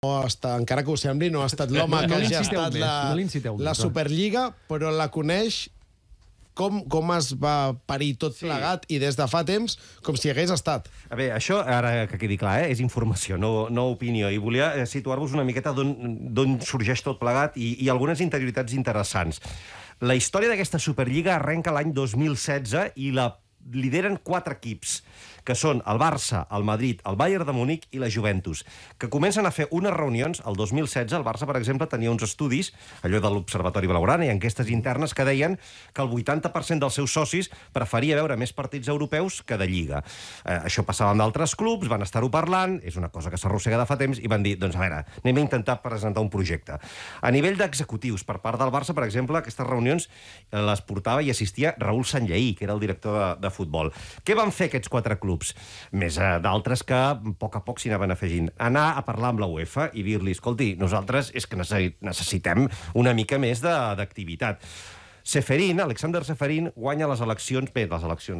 encara que ho sembli, no ha estat l'home que ha gestat la Superliga, però la coneix com es va parir tot plegat i des de fa temps com si hagués estat. A veure, això, ara que quedi clar, és informació, no opinió, i volia situar-vos una miqueta d'on sorgeix tot plegat i algunes interioritats interessants. La història d'aquesta Superliga arrenca l'any 2016 i la lideren 4 equips, que són el Barça, el Madrid, el Bayern de Múnich i la Juventus, que comencen a fer unes reunions. El 2016 el Barça, per exemple, tenia uns estudis, allò de l'Observatori Blaugrana i enquestes internes, que deien que el 80% dels seus socis preferia veure més partits europeus que de Lliga. Això passava amb d'altres clubs, van estar-ho parlant, és una cosa que s'arrossega de fa temps, i van dir, doncs a veure, anem a intentar presentar un projecte. A nivell d'executius, per part del Barça, per exemple, aquestes reunions les portava i assistia Raúl Sanllehy, que era el director de futbol. Què van fer aquests 4 clubs? Més d'altres que a poc s'hi anaven afegint. Anar a parlar amb la UEFA i dir-li, escolti, nosaltres és que necessitem una mica més d'activitat. Alexander Čeferin, guanya les eleccions,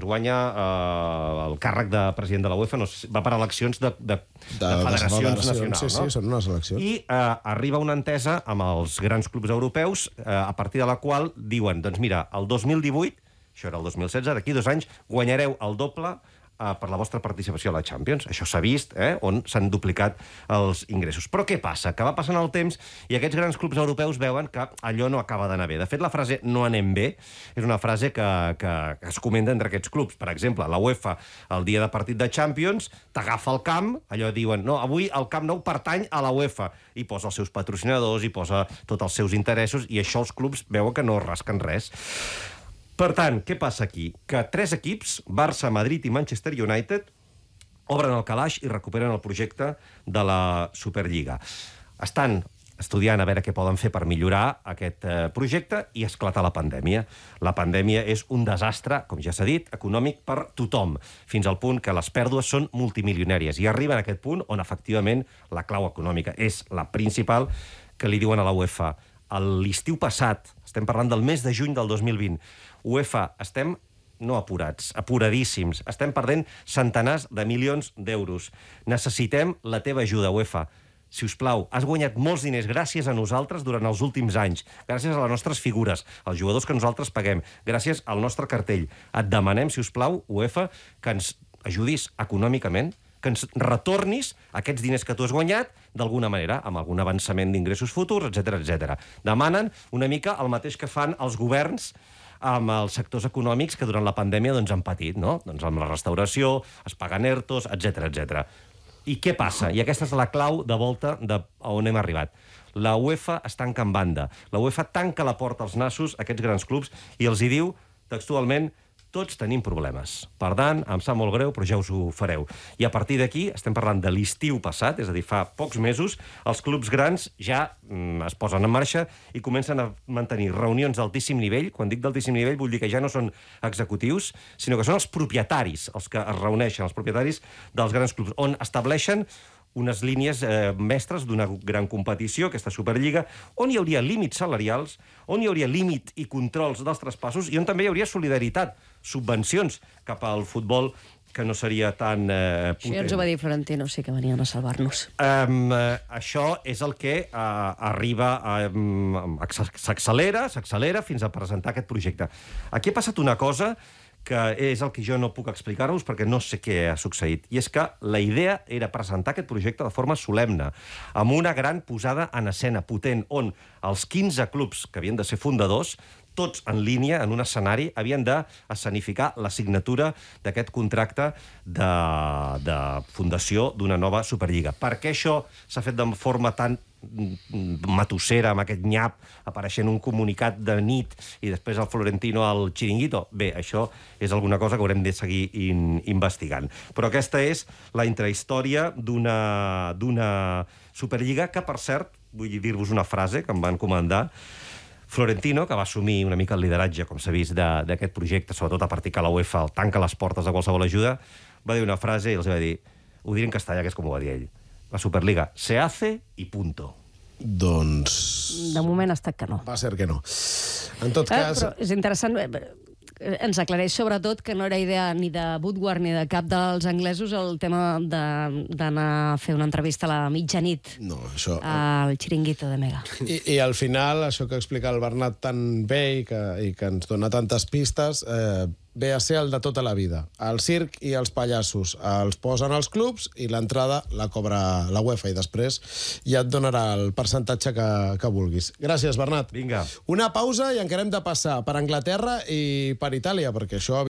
guanya el càrrec de president de la UEFA, va per eleccions de federacions nacionals. Sí, són unes eleccions. I arriba una entesa amb els grans clubs europeus, a partir de la qual diuen, doncs mira, el 2018, això era el 2016, d'aquí 2 anys, guanyareu el doble per la vostra participació a la Champions. Això s'ha vist, on s'han duplicat els ingressos. Però què passa? Que va passant el temps i aquests grans clubs europeus veuen que allò no acaba d'anar bé. De fet, la frase "no anem bé" és una frase que es comenta entre aquests clubs. Per exemple, la UEFA, el dia de partit de Champions, t'agafa el camp, allò diuen, no, avui el Camp Nou pertany a la UEFA, i posa els seus patrocinadors, i posa tots els seus interessos, i això els clubs veuen que no rasquen res. Per tant, què passa aquí? Que 3 equips, Barça, Madrid i Manchester United, obren el calaix i recuperen el projecte de la Superliga. Estan estudiant a veure què poden fer per millorar aquest projecte i esclata la pandèmia. La pandèmia és un desastre, com ja s'ha dit, econòmic per tothom, fins al punt que les pèrdues són multimilionàries i arriben a aquest punt on, efectivament, la clau econòmica és la principal, que li diuen a la UEFA. L'estiu passat, estem parlant del mes de juny del 2020, UEFA, estem no apurats, apuradíssims. Estem perdent centenars de milions d'euros. Necessitem la teva ajuda, UEFA. Si us plau, has guanyat molts diners gràcies a nosaltres durant els últims anys, gràcies a les nostres figures, als jugadors que nosaltres paguem, gràcies al nostre cartell. Et demanem, si us plau, UEFA, que ens ajudis econòmicament, que ens retornis aquests diners que tu has guanyat d'alguna manera, amb algun avançament d'ingressos futurs, etc. Demanen una mica el mateix que fan els governs amb els sectors econòmics que durant la pandèmia han patit, no? Doncs amb la restauració, es paguen ERTOs, etc. I què passa? I aquesta és la clau de volta on hem arribat. La UEFA es tanca en banda. La UEFA tanca la porta als nassos a aquests grans clubs i els hi diu textualment: tots tenim problemes. Per tant, em sap molt greu, però ja us ho fareu. I a partir d'aquí, estem parlant de l'estiu passat, és a dir, fa pocs mesos, els clubs grans ja es posen en marxa i comencen a mantenir reunions d'altíssim nivell. Quan dic d'altíssim nivell, vull dir que ja no són executius, sinó que són els propietaris els que es reuneixen, els propietaris dels grans clubs, on estableixen unes línies mestres d'una gran competició, aquesta Superliga, on hi hauria límits salarials, on hi hauria límit i controls dels traspassos i on també hi hauria solidaritat, subvencions cap al futbol que no seria tan potent. Això ja ens ho va dir Florentino, sí que venien a salvar-nos. Això és el que arriba, s'accelera fins a presentar aquest projecte. Aquí ha passat una cosa que és el que jo no puc explicar-vos perquè no sé què ha succeït. I és que la idea era presentar aquest projecte de forma solemne, amb una gran posada en escena potent, on els 15 clubs que havien de ser fundadors, tots en línia, en un escenari, havien d'escenificar la signatura d'aquest contracte de fundació d'una nova Superliga. Per què això s'ha fet de forma tan matossera, amb aquest nyap, apareixent un comunicat de nit i després el Florentino al xiringuito? Bé, això és alguna cosa que haurem de seguir investigant. Però aquesta és la intrahistòria d'una Superliga que, per cert, vull dir-vos una frase que em van comandar. Florentino, que va assumir una mica el lideratge, com s'ha vist, d'aquest projecte, sobretot a partir que la UEFA el tanca les portes de qualsevol ajuda, va dir una frase i els va dir, ho diré en castellà, que és com ho va dir ell: la Superliga se hace y punto. Doncs... De moment ha estat que no. Va ser que no. En tot cas... Però és interessant... ens aclareix sobretot que no era idea ni de Woodward ni de cap dels anglesos el tema d'anar a fer una entrevista a la mitjanit al Chiringuito de Mega. I al final, això que explica el Bernat tan bé i que ens dona tantes pistes, ve a ser el de tota la vida. El circ i els pallassos els posen als clubs i l'entrada la cobra la UEFA i després ja et donarà el percentatge que vulguis. Gràcies, Bernat. Vinga. Una pausa i encara hem de passar per Anglaterra i per Itàlia, perquè això